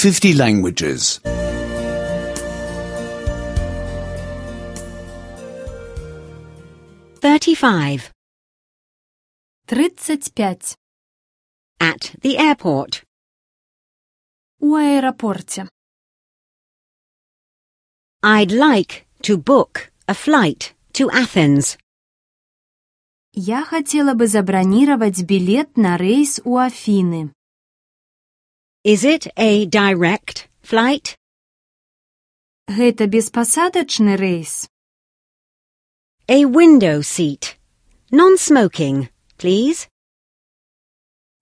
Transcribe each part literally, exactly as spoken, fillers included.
fifty languages. thirty-five. тридцать пять. At the airport. У аэропорте. I'd like to book a flight to Athens. Я хотела бы забронировать билет на рейс у Афины. Is it a direct flight? Гэта беспасадачны рейс. A window seat. Non-smoking, please.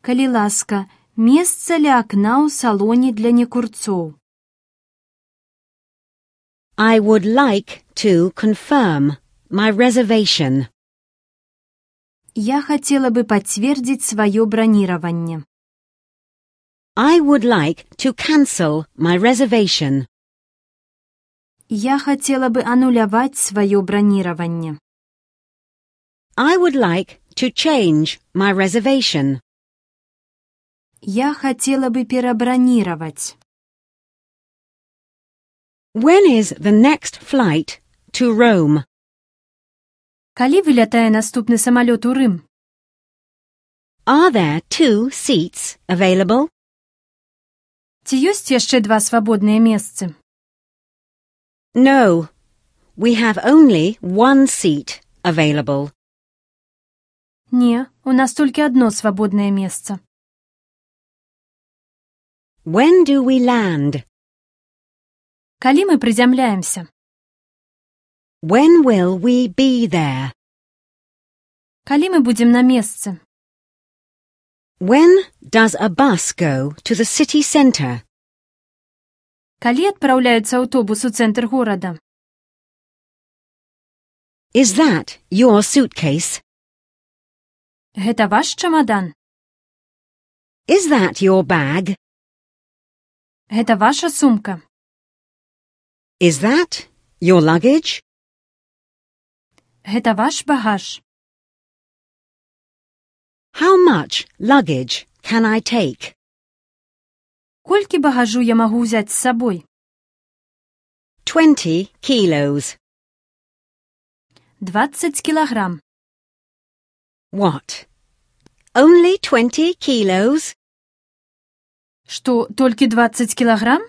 Калі ласка, месца ля акна ў салоне для некурцоў. I would like to confirm my reservation. Я хотела бы подтвердить свое бронирование. I would like to cancel my reservation. Я хотела бы аннулировать свое бронирование. I would like to change my reservation. Я хотела бы перебронировать. When is the next flight to Rome? Калі вылятае наступны самалёт у Рым? Are there two seats available? Ці ёсць яшчэ два свабодныя месцы? No, we have only one seat available. Не, у нас толькі одно свабоднае месца. When do we land? Калі мы приземляемся? When will we be there? Калі мы будем на месцы? When does a bus go to the city centre? Калі адпраўляецца аўтобус у цэнтр горада? Is that your suitcase? Гэта ваш чамадан? Is that your bag? Гэта ваша сумка? Is that your luggage? Гэта ваш багаж? How much luggage can I take? Колькі багажу я магу ўзяць з сабой? Twenty kilos. двадцать кілаграм. What? Only twenty kilos? Што, толькі двадцать кілаграм?